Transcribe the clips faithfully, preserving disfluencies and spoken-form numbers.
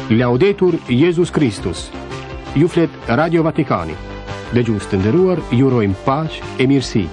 Laudetur Jezus Kristus. Ju flet Radio Vatikani. Dëgjues të nderuar, ju urojmë paqe e mirësi.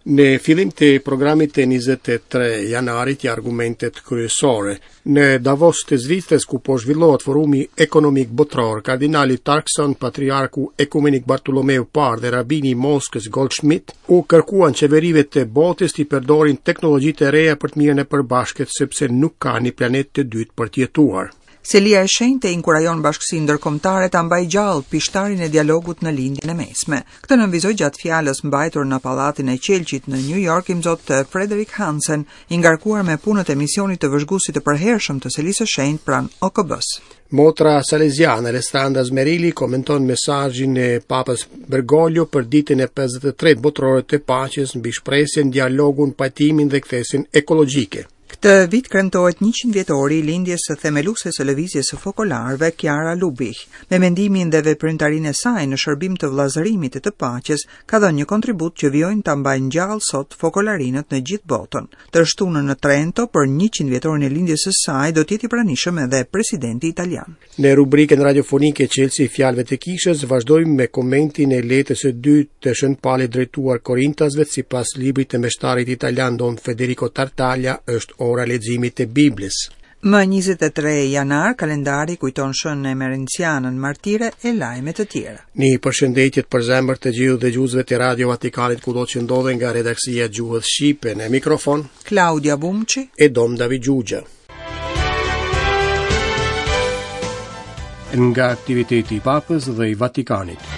Në fillim të programit të njëzet e tre janarit ja argumentet kryesore. Në Davos të Zvicrës, ku po zhvillohet Forumi Ekonomik Botëror, kardinali Turkson, patriarku ekumenik Bartolomeu Parë dhe rabini i Moskës Goldschmidt u kërkuan qeverive të botës të përdorin teknologjitë e reja për të mirën e përbashkët, sepse nuk ka një planet të dytë për të jetuar. Selia e Shenjtë inkurajon bashkësinë ndërkombëtare ta mbajë gjallë pishtarin e dialogut në Lindjen e Mesme. Këtë nënvizoi gjatë fjalës mbajtur në Pallatin e Qelqit në New York imzot Frederik Hansen, i ngarkuar me punët e misionit të vëzhguesit të përhershëm të Selisë së Shenjtë pranë O K B-s. Motra Salesiana Alessandra Smerilli komenton mesazhin e Papës Bergoglio për ditën e pesëdhjetë e tretë botërore të paqes mbi shpresën, dialogun, pajtimin dhe kthesën ekologjike. Këtë vit kremtohet njëqind vjetori i lindjes së themelueses së lëvizjes së fokolarëve, Chiara Lubich. Me mendimin dhe veprimtarinë e saj në shërbim të vëllazërimit e të paqes, ka dhënë një kontribut që vijojnë ta mbajnë gjallë sot fokolarinët në gjithë botën. Të shtunën në Trento për njëqind vjetorin e lindjes së saj do të jetë i pranishëm edhe presidenti italian. Në rubrikën radiofonike Çelësi i Fjalëve të Kishës vazhdojmë me komentin e letrës së dytë të Shën Palit drejtuar Korintasve sipas librit të meshtarit italian Don Federico Tartaglia. Është ora e leximit të Biblës. Më njëzet e tre janar, kalendari kujton Shën Emerencianën martire e lajme të tjera. Një përshëndetje të përzemërt të gjithë dëgjuesve të Radio Vatikanin kudo që ndodhen nga redaksia e gjuhës shqipe, në mikrofon Klaudia Bumçi e Dom David Gjugja. Nga aktiviteti i Papës dhe i Vatikanit.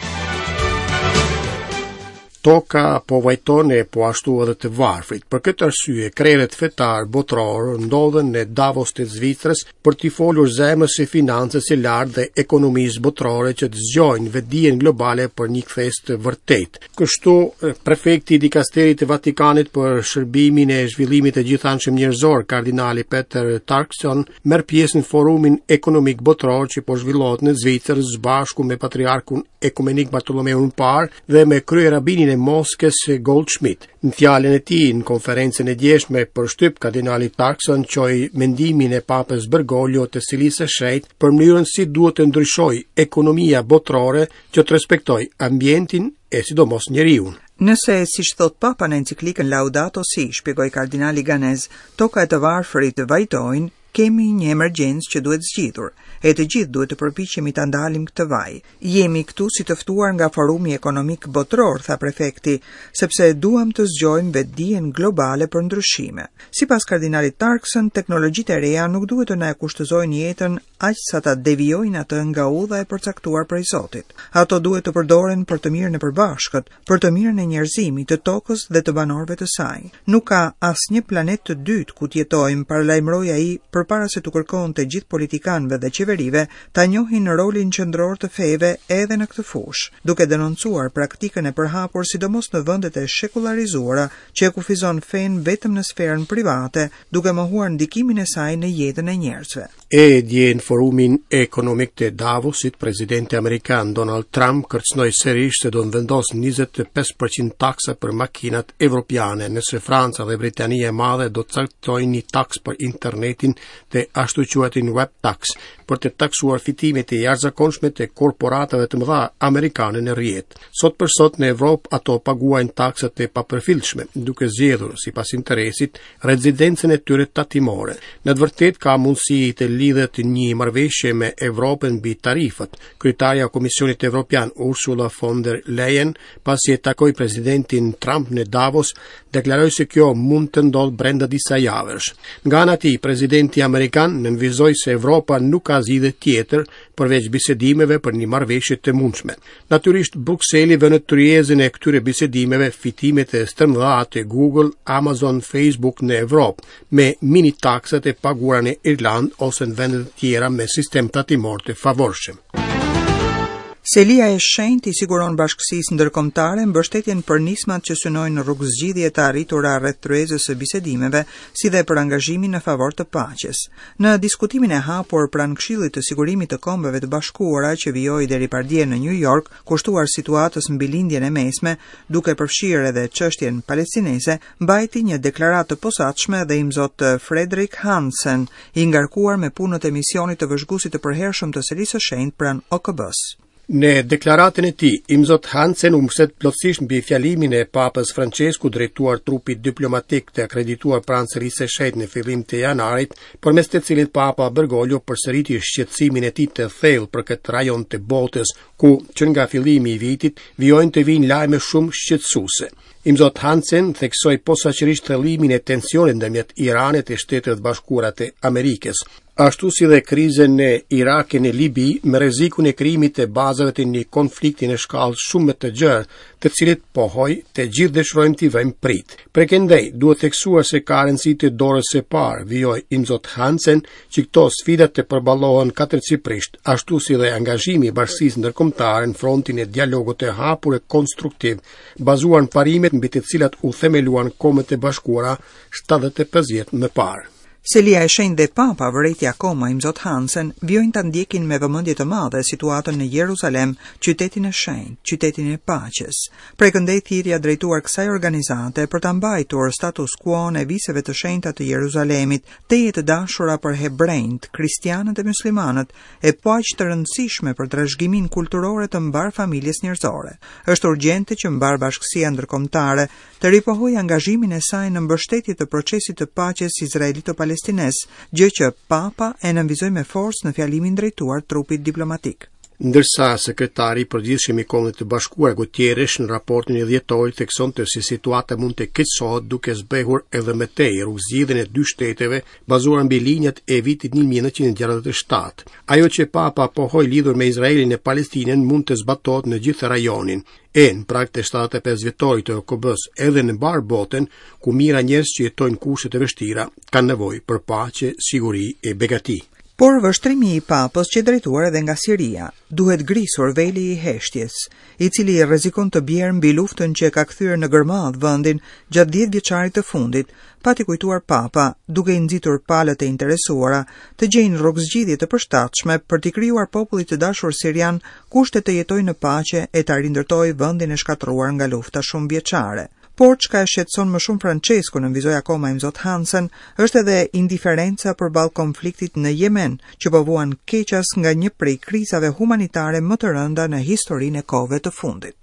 Toka po vajton e po ashtu edhe të varfrit. Për këtë arsye, krerët fetar botëror ndodhen në Davos të Zvicrës për t'i folur zemrës së financës së lartë dhe ekonomisë botërore, që të zgjojnë vetëdijen globale për një kthesë të vërtetë. Kështu, prefekti i dikasterit të Vatikanit për shërbimin e zhvillimit të gjithanshëm njerëzor, kardinali Peter Turkson, merr pjesë në Forumin Ekonomik Botëror që po zhvillohet në Zvicër së bashku me patriarkun ekumenik Bartolomeun Parë dhe me kryerabinin e Moskës Goldschmidt. Në fjalën e tij në konferencën e djeshme për shtyp, kardinali Turkson çoi mendimin e Papës Bergoglio të Selisë së Shenjtë për mënyrën si duhet të ndryshojë ekonomia botërore që të respektojë ambientin e sidomos njeriun. Nëse, siç thot Papa në enciklikën Laudato Si, shpjegoi kardinali ganez, toka e të varfërit vajtojnë, kemi një emergjencë që duhet zgjidhur, e të gjithë duhet të përpiqemi ta ndalim këtë vaj. Jemi këtu si të ftuar nga Forumi Ekonomik Botëror, tha prefekti, sepse duam të zgjojmë vetëdijen globale për ndryshime. Sipas kardinalit Turkson, teknologjitë e reja nuk duhet të na e kushtëzojnë jetën aq sa ta devijojnë atë nga udha e përcaktuar prej Zotit. Ato duhet të përdoren për të mirën e përbashkët, për të mirën e njerëzimit, të tokës dhe të banorëve të saj. Nuk ka asnjë planet të dytë ku të jetojmë, paralajmëroi ai përpara se t'u kërkonte gjithë politikanëve dhe qeverive ta njohin rolin qendror të feve edhe në këtë fushë, duke denoncuar praktikën e përhapur sidomos në vendet e shekullarizuara që e kufizon fenë vetëm në sferën private, duke mohuar ndikimin e saj në jetën e njerëzve. E dje në Forumin Ekonomik të Davosit, presidenti amerikan Donald Trump kërcënoi sërish se do të vendosë njëzet e pesë për qind taksa për makinat evropiane nëse Franca dhe Britania e Madhe do të caktojnë një taksë për internetin, të ashtu quajtin web tax, për të taksuar fitimet e jashtëzakonshme të korporatave të mëdha amerikane në rrjet. Sot për sot në Evropë ato paguajnë taksat e papërfillshme, duke zgjedhur sipas interesit rezidencën e tyre tatimore. Në të vërtetë ka mundësi të lidhet një marrëveshje me Evropën mbi tarifat. Kryetarja e Komisionit Evropian Ursula von der Leyen, pasi e takoi presidentin Trump në Davos, deklaroi se kjo mund të ndodhë brenda disa javësh. Nga ana e tij, presidenti amerikan nënvizoi se Evropa nuk ka zgjidhje tjetër përveç bisedimeve për një marrëveshje të mundshme. Natyrisht, Brukseli vë në tryezën e këtyre bisedimeve fitimet e stërmëdha të Google, Amazon, Facebook në Evropë, me mini taksat e paguara në Irland ose në vende të tjera me sistem tatimor të favorshëm. Selia e Shenjtë i siguron bashkësisë ndërkombëtare mbështetjen për nismat që synojnë rrugëzgjidhje të arritura rreth tryezës së bisedimeve, si dhe për angazhimin në favor të paqes. Në diskutimin e hapur pranë Këshillit të Sigurimit të Kombeve të Bashkuara që vijoi deri pardje në New York, kushtuar situatës mbi lindjen e mesme, duke përfshirë edhe çështjen palestineze, mbajti një deklaratë të posaçme dhe imzot Frederick Hansen, i ngarkuar me punët e misionit të vëzhguesit të përhershëm të Selisë së Shenjtë pranë O K B-s. Në deklaratën e tij, Imzot Hansen u mbështet plotësisht mbi fjalimin e Papës Francesku drejtuar trupit diplomatik të akredituar pranë Selisë së Shenjtë në fillim të janarit, përmes të cilit Papa Bergoglio përsëriti shqetësimin e tij të thellë për këtë rajon të botës, ku që nga fillimi i vitit vijojnë të vinë lajme shumë shqetësuese. Imzot Hansen theksoi posaçërisht thellimin e tensionit ndërmjet Iranit e Shteteve të Bashkuara të Amerikës, ashtu si dhe krizën në Irak e në Libi me rrezikun e krijimit të bazave të një konflikti në shkallë shumë më të gjerë, të cilit pohoi të gjithë dëshirojmë t'i vëmë prit. Prekendej, duhet theksuar se ka rëndësi të dorës së parë, vijoi Imzot Hansen, që këto sfida të përballohen katërcipërisht, ashtu si dhe angazhimi i bashkësisë ndërkombëtare në frontin e dialogut të hapur e konstruktiv, bazuar në parimet mbi të cilat u themeluan Kombet e Bashkuara shtatëdhjetë e pesë vjet më parë. Selia e Shenjtë dhe Papa, vërejti akoma Imzot Hansen, vijojnë ta ndjekin me vëmendje të madhe situatën në Jeruzalem, qytetin e shenjtë, qytetin e paqes. Prej këndej thirrja drejtuar kësaj organizate për ta mbajtur status quo-n e viseve të shenjta të Jeruzalemit, teje të dashura për hebrejt, kristianët e muslimanët, e po aq të rëndësishme për trashëgiminë kulturore të mbar familjes njerëzore. Është urgjente që mbar bashkësia ndërkombëtare të ripohojë angazhimin e saj në mbështetje të procesit të paqes izraelito-palestinez, gjë që Papa e nënvizoi me forcë në fjalimin drejtuar trupit diplomatik. Ndërsa sekretari i përgjithshëm i Kombeve të Bashkuara Guterres në raportin e dhjetorit theksonte se situata mund të keqësohet duke zbehur edhe më tej rrugëzgjidhjen e dy shteteve bazuar mbi linjat e vitit një mijë e nëntëqind e gjashtëdhjetë e shtatë. Ajo që Papa pohoi lidhur me Izraelin e Palestinën mund të zbatohet në gjithë rajonin, e në prag të shtatëdhjetë e pesë vjetorit të O K B-s edhe në mbar botën, ku mijëra njerëz që jetojnë në kushte të vështira kanë nevojë për paqe, siguri e begati. Por vështrimi i Papës që drejtuar edhe nga Siria, duhet grisur veli i heshtjes, i cili rrezikon të bjerë mbi luftën që e ka kthyer në gërmadh vendin gjatë dhjetë vjeçarit të fundit, pati kujtuar Papa, duke i nxitur palët e interesuara të gjejnë rrugëzgjidhje të përshtatshme për t'i krijuar popullit të dashur sirian kushte të jetojë në paqe e ta rindërtojë vendin e shkatërruar nga lufta shumëvjeçare. Por çka e shqetëson më shumë Francesco, nënvizoi akoma Imzot Hansen, është edhe indiferenca përballë konfliktit në Jemen, që po vuan keqas nga një prej krizave humanitare më të rënda në historinë e kohëve të fundit.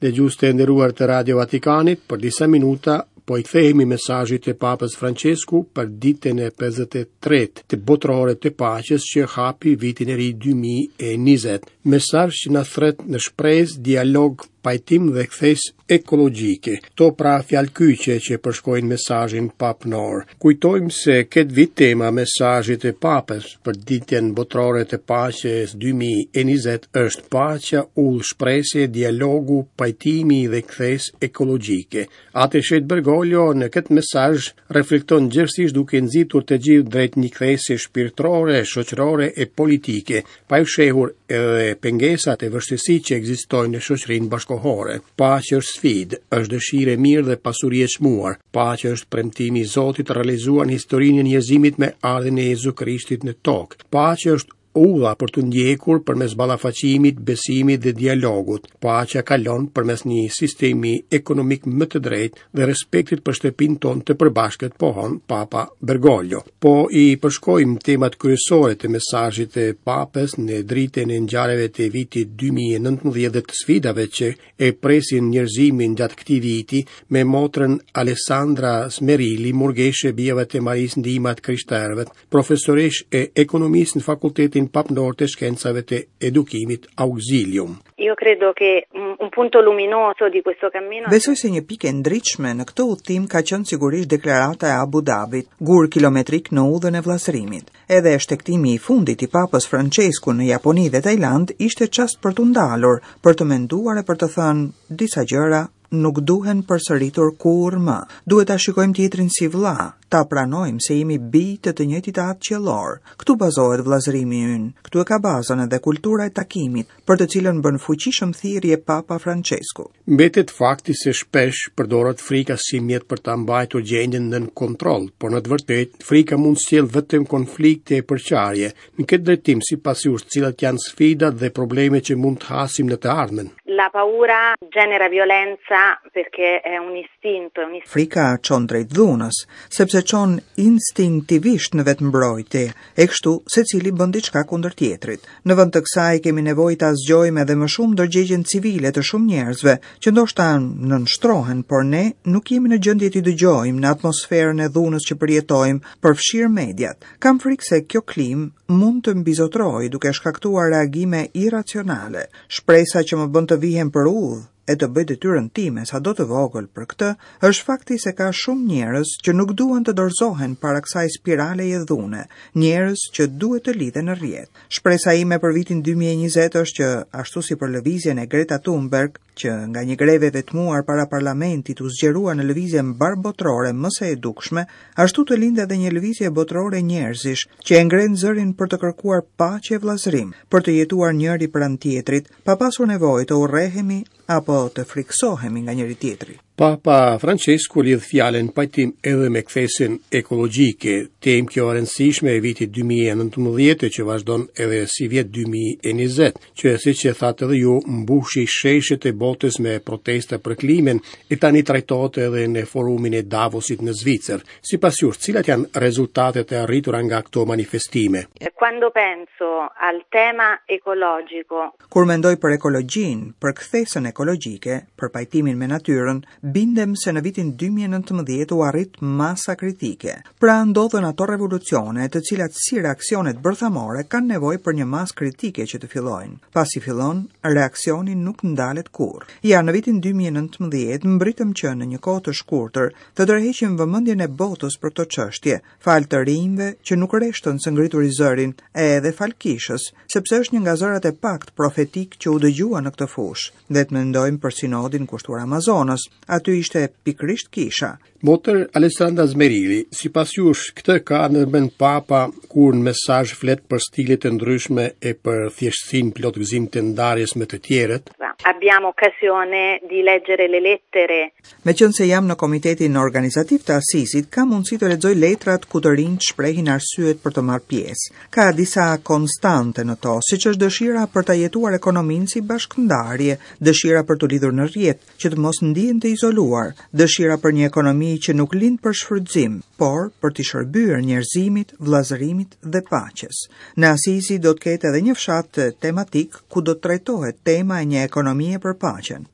Dëgjues të nderuar të Radio Vatikanit, për disa minuta po i kthehemi mesazhit të Papës Francesku për ditën e pesëdhjetë e tretë të botërore të paqes që hapi vitin e ri dy mijë e njëzet. Mesazh që na thret në shpresë, dialog, pajtim dhe kthesë ekologjike. Këto pra fjalë kyçe që përshkojnë mesazhin papnor. Kujtojmë se këtë vit tema mesazhit të Papës për ditën botërore të paqes dy mijë e njëzet është paqja, ullë shprese, dialogu, pajtimi dhe kthesë ekologjike. Atë Shet Bergoglio në këtë mesazh reflekton gjerësisht duke nxitur të gjithë drejt një kthese shpirtërore, shoqërore e politike, pa i fshehur edhe pengesat e vështirësitë që ekzistojnë në shoqërinë bashkohore. Paqja është sfidë, është dëshirë e mirë dhe pasuri e çmuar. Paqja është premtimi i Zotit realizuar në historinë e njerëzimit me ardhjen e Jezu Krishtit në tokë. Paqja është udha për të ndjekur përmes ballafaqimit, besimit dhe dialogut. Paqja kalon përmes një sistemi ekonomik më të drejtë dhe respektit për shtëpinë tonë të përbashkët, pohon Papa Bergoglio. Po i përshkojmë temat kryesore të mesazhit të Papës në dritën e ngjarjeve të vitit dy mijë e nëntëmbëdhjetë dhe të sfidave që e presin njerëzimin gjatë këtij viti me motrën Alessandra Smerilli, murgeshe bijave të Marisë Ndihma të Krishterëve, profesoresh e ekonomisë në Fakultetin Papnor të Shkencave të Edukimit Auxilium. Io credo che un, un punto luminoso di questo cammino Besoj se një pikë e ndritshme në këtë udhtim ka qenë sigurisht deklarata e Abu Dhabit, gur kilometrik në udhën e vllazërimit. Edhe shtektimi i fundit i Papës Francesku në Japoni dhe Tajland ishte çast për t'u ndalur, për të menduar e për të thënë disa gjëra nuk duhen përsëritur kurrë më. Duhet ta shikojmë tjetrin si vëlla, Ta pranojmë se jemi bij të të njëjtit atë qiellor. Këtu bazohet vëllazërimi ynë. Këtu e ka bazën edhe kultura e takimit, për të cilën bën fuqishëm thirrje Papa Francesku. Mbetet fakti se shpesh përdoret frika si mjet për ta mbajtur gjendjen nën kontroll, por në të vërtetë frika mund të sjellë vetëm konflikte e përçarje. Në këtë drejtim, sipas jush, cilat janë sfidat dhe problemet që mund të hasim në të ardhmen? La paura genera violenza perché è un istinto, è un istinto. Frika çon drejt dhunës, sepse çon instinktivisht në vetëmbrojtje, e kështu secili bën diçka kundër tjetrit. Në vend të kësaj kemi nevojë ta zgjojmë edhe më shumë ndërgjegjen civile të shumë njerëzve që ndoshta nënshtrohen, por ne nuk jemi në gjendje t'i dëgjojmë në atmosferën e dhunës që përjetojmë, përfshirë mediat. Kam frikë se kjo klimë mund të mbizotrojë duke shkaktuar reagime irracionale. Shpresa që më bën të vihem për udhë e të bëj detyrën time sado të vogël për këtë, është fakti se ka shumë njerëz që nuk duan të dorëzohen para kësaj spiraleje dhune, njerëz që duhet të lidhen në rrjet. Shpresa ime për vitin dy mijë e njëzet është që, ashtu si për lëvizjen e Greta Thunberg, që nga një greve vetmuar para parlamentit u zgjerua në lëvizje mbarëbotërore më se e dukshme, ashtu të lindë edhe një lëvizje botërore njerëzish që e ngren zërin për të kërkuar paqe e vëllazërim, për të jetuar njëri pranë tjetrit, pa pasur nevojë të urrehemi apo të friksohemi nga njëri tjetri. Papa Francesku lidh fjalën pajtim edhe me kthesën ekologjike, temë kjo e rëndësishme e vitit dy mijë e nëntëmbëdhjetë që vazhdon edhe si vjet dy mijë e njëzet, që siç e thatë edhe ju, mbushi sheshet e botës me protesta për klimën, e tani trajtohet edhe në forumin e Davosit në Zvicër. Sipas jush, cilat janë rezultatet e arritura nga këto manifestime? Quando penso al tema ecologico, Kur mendoj për ekologjinë, për kthesën ekologjike, për pajtimin me natyrën, bindem se në vitin dy mijë e nëntëmbëdhjetë u arrit masa kritike. Pra ndodhën ato revolucione, të cilat si reaksionet bërthamore kanë nevojë për një masë kritike që të fillojnë. Pasi fillon, reaksioni nuk ndalet kurrë. Ja, në vitin dy mijë e nëntëmbëdhjetë mbritëm që në një kohë të shkurtër të tërheqim vëmendjen e botës për këto çështje, fal të rinjve që nuk reshtën së ngrituri zërin, e edhe fal kishës, sepse është një nga zërat e pakt profetik që u dëgjua në këtë fushë. Dhe të mendojmë për sinodin kushtuar Amazonës, aty ishte pikërisht kisha. Motër Alessandra Smerilli, sipas jush, këtë ka në mend Papa kur në mesazh flet për stilet e ndryshme e për thjeshtësinë plot gëzim të ndarjes me të tjerët? Abbiamo occasione di leggere le lettere. Meqense jam në komitetin organizativ të Asisit, kam mundësi të lexoj letrat ku të rinjt shprehin arsyet për të marrë pjesë. Ka disa konstante në to, siç është dëshira për ta jetuar ekonominë si bashkëndarje, dëshira për t'u lidhur në rrjet, që të mos ndihen të izoluar, dëshira për një ekonomi që nuk lind për shfrytëzim, por për t'i shërbyer njerëzimit, vëllazërimit dhe paqes. Në Asisi do të ketë edhe një fshat tematik ku do të trajtohet tema e një ekonomie për paqen.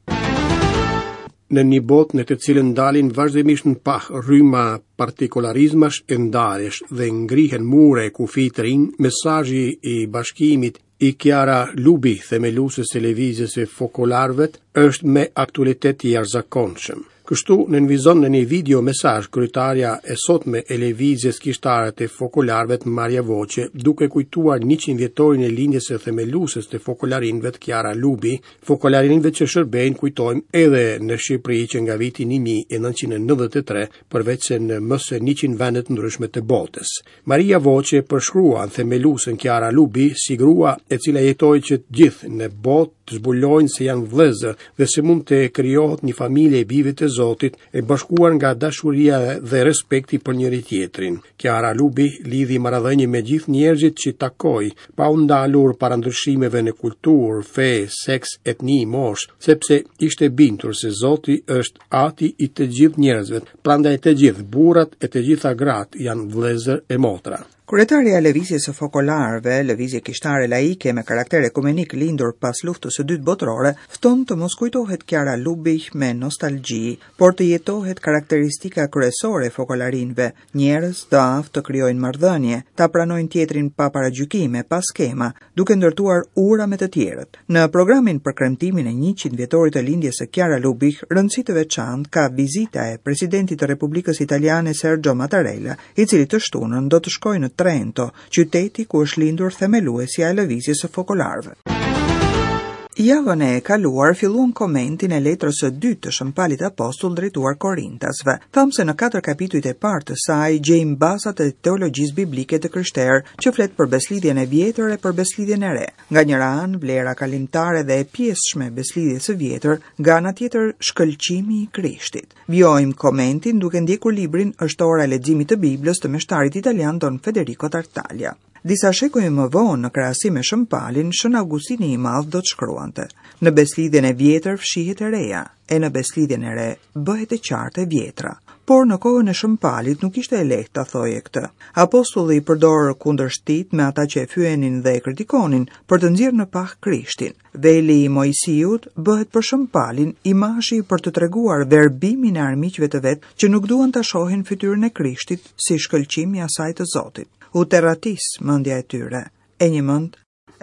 Në një botë në të cilën dalin vazhdimisht në pah rryma partikularizmash e ndarjesh dhe ngrihen mure e kufi të rinj, mesazhi i bashkimit i Chiara Lubich, themelueses së lëvizjes së fokolarëve, është me aktualitet i jashtëzakonshëm. Kështu nënvizon në një video mesazh kryetarja e sotme e lëvizjes kishtare të fokolarëve të Maria Voce, duke kujtuar njëqind vjetorin e lindjes së themelueses të fokolarinëve të Chiara Lubich, fokolarinëve që shërbejnë, kujtojmë, edhe në Shqipëri që nga viti një mijë e nëntëqind e nëntëdhjetë e tre, përveç se në më se njëqind vende të ndryshme të botës. Maria Voce përshkruan themeluesen Chiara Lubich si grua e cila jetoi që të gjithë në botë të zbulojnë se janë vëllezër dhe se mund të krijohet një familje e bijve të Zotit e bashkuar nga dashuria dhe respekti për njëri tjetrin. Chiara Lubich lidhi marrëdhënie me gjithë njerëzit që takoi, pa u ndalur para ndryshimeve në kulturë, fe, seks, etni, moshë, sepse ishte bindur se Zoti është ati i të gjithë njerëzve, prandaj të gjithë burrat e të gjitha gratë janë vëllezër e motra. Kryetarja e lëvizjes së fokolarëve, lëvizje kishtare laike me karakter ekumenik lindur pas luftës së dytë botërore, fton të mos kujtohet Chiara Lubich me nostalgji, por të jetohet karakteristika kryesore e fokolarinëve, njerëz të aftë të krijojnë marrëdhënie, ta pranojnë tjetrin pa paragjykime, pa skema, duke ndërtuar ura me të tjerët. Në programin për kremtimin e njëqind vjetorit të lindjes së Chiara Lubich, rëndësi të veçantë ka vizita e presidentit të Republikës Italiane Sergio Mattarella, i cili të shtunën do të shkojë në Trento, qyteti ku është lindur themeluesja e lëvizjes së fokolarëve. Javën e kaluar filluam komentin e letrës së dytë të Shën Palit Apostull drejtuar Korintasve. Thamë se në katër kapitujt e parë të saj gjejmë bazat e teologjisë biblike të krishterë, që flet për beslidhjen e vjetër e për beslidhjen e re. Nga njëra anë vlera kalimtare dhe e pjesshme e beslidhjes së vjetër, nga ana tjetër shkëlqimi i Krishtit. Vijojmë komentin duke ndjekur librin Është ora e leximit të Biblës të meshtarit italian Don Federico Tartaglia. Disa shekuj më vonë, në krahasim me Shën Palin, Shën Augustini i Madh do të shkruante: Në beslidhjen e vjetër fshihet e reja, e në beslidhjen e re bëhet e qartë e vjetra. Por në kohën e Shën Palit nuk ishte e lehtë ta thoje këtë. Apostulli i përdor kundërshtit me ata që e fyenin dhe e kritikonin për të nxjerrë në pah Krishtin. Veli i Moisiut bëhet për Shën Palin imazhi për të treguar verbimin e armiqve të vet që nuk duan ta shohin fytyrën e Krishtit si shkëlqim i asaj të Zotit. U terratis mendja e tyre, e një mend,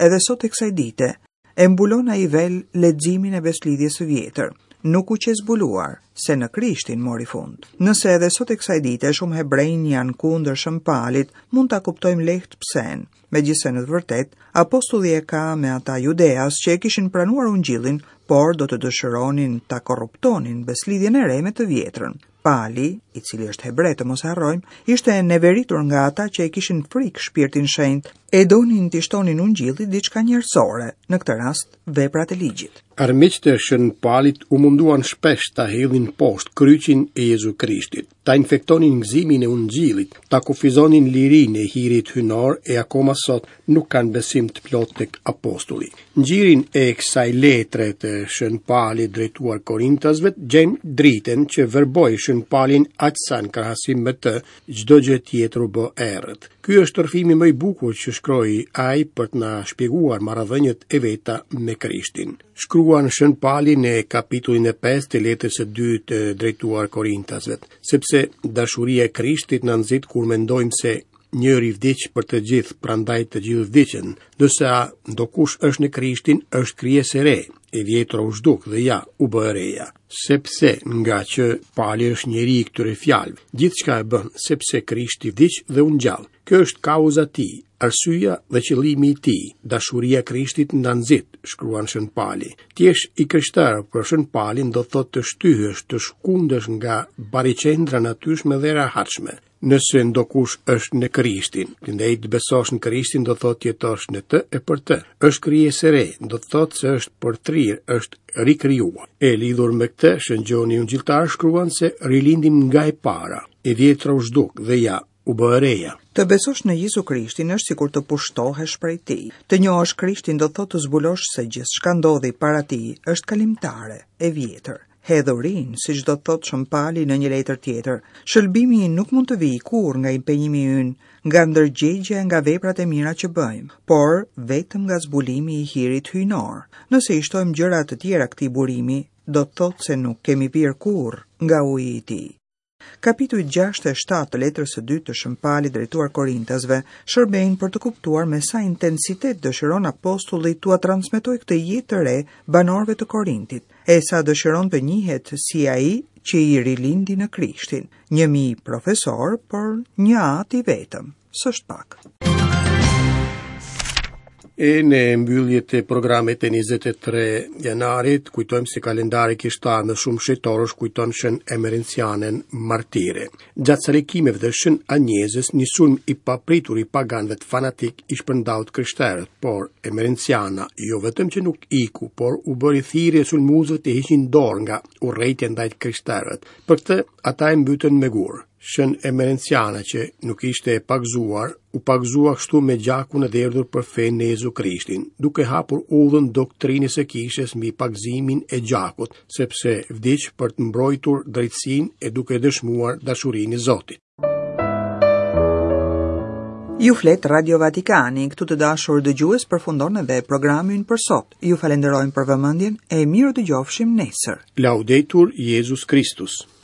edhe sot e kësaj dite, e mbulon ai vel leximin e beslidhjes së vjetër. Nuk u qe zbuluar se në Krishtin mori fund. Nëse edhe sot e kësaj dite shumë hebrejnë janë kundër Shën Palit, mund ta kuptojmë lehtë psen. Megjithëse në të vërtetë, apostulli e ka me ata judeas që e kishin pranuar ungjillin, por do të dëshironin ta korruptonin beslidhjen e re me të vjetrën. Pali, i cili është hebre, të mos harrojmë, ishte neveritur nga ata që e kishin frikë shpirtin shenjt, e donin t'i shtonin ungjillit diçka njerëzore, në këtë rast veprat e ligjit. Armiqtë e Shën Palit u munduan shpesh ta hedhin poshtë kryqin e Jezu Krishtit, ta infektonin gëzimin e ungjillit, ta kufizonin lirinë e hirit hynor e akoma sot nuk kanë besim të plotë tek apostulli. Në gjirin e kësaj letre të Shën Palit drejtuar Korintasve gjejmë dritën që verboi Shën Palin aq sa në krahasim me të çdo gjë tjetër u bë errët. Ky është rrëfimi më i bukur që shkroi ai për të na shpjeguar marrëdhëniet e veta me Krishtin. Shkruan Shën Pali në kapitullin e pestë të letrës së dytë drejtuar Korintasve, sepse dashuria e Krishtit na nxit kur mendojmë se njëri vdiq për të gjithë, prandaj të gjithë vdiqën. Ndërsa ndokush është në Krishtin, është krijesë e re, e vjetra u zhduk dhe ja, u bë e reja. Sepse nga që Pali është njeri i këtyre fjalëve, gjithçka e bën sepse Krishti vdiq dhe u ngjall. Kjo është kauza e tij, arsyeja dhe qëllimi i tij. Dashuria e Krishtit na nxit, shkruan Shën Pali. Ti jesh i krishterë për Shën Palin do thotë të shtyhesh, të shkundesh nga bariqendra natyrshme dhe rehatshme. Nëse ndokush është në Krishtin, ndaj të besosh në Krishtin do thotë të jetosh në të e për të. Është krijesë e re, do thotë se është përtrir, është rikrijuar. E lidhur me këtë, Shën Gjoni Ungjilltar shkruan se rilindim nga e para, e vjetra u zhduk dhe ja, u bë e reja. Të besosh në Jezu Krishtin është sikur të pushtohesh prej tij. Të njohësh Krishtin do thotë të zbulosh se gjithçka ndodhi para tij është kalimtare, e vjetër. Hedhurin, siç do të thotë Shën Pali në një letër tjetër. Shëlbimi nuk mund të vijë kurrë nga impenjimi ynë, nga ndërgjegja, nga veprat e mira që bëjmë, por vetëm nga zbulimi i hirit hyjnor. Nëse i shtojmë gjëra të tjera këtij burimi, do të thotë se nuk kemi pirë kurrë nga uji i tij. Kapitujt gjashtë e shtatë të letrës së dytë të Shën Palit drejtuar Korintasve shërbejnë për të kuptuar me sa intensitet dëshiron apostulli t'ua transmetojë këtë jetë të re banorëve të Korintit, e sa dëshiron të njihet si ai që i rilindi në Krishtin, një mijë profesor, por një atë i vetëm, s'është pak. E në mbyllje të programit e njëzet e tre janarit, kujtojmë se kalendari kishtar me shumë shëtorësh kujton Shën Emerencianën martire. Gjatë salikimeve të Shën Anjezës, një sulm i papritur i paganëve fanatik i shpërndau të krishterët, por Emerenciana jo vetëm që nuk iku, por u bëri thirrje sulmuesve të hiqnin dorë nga urrejtja ndaj të krishterët. Për këtë ata e mbytën me gur. Shën Emerenciana, që nuk ishte e pagëzuar, u pagëzua kështu me gjakun e derdhur për fenë në Jezu Krishtin, duke hapur udhën doktrinës së kishës mbi pagëzimin e gjakut, sepse vdiq për të mbrojtur drejtësinë e duke dëshmuar dashurinë e Zotit. Ju flet Radio Vatikani, këtu të dashur dëgjues përfundon edhe programi ynë për sot. Ju falenderojmë për vëmendjen e mirë dëgjofshim nesër. Laudetur Jezus Christus.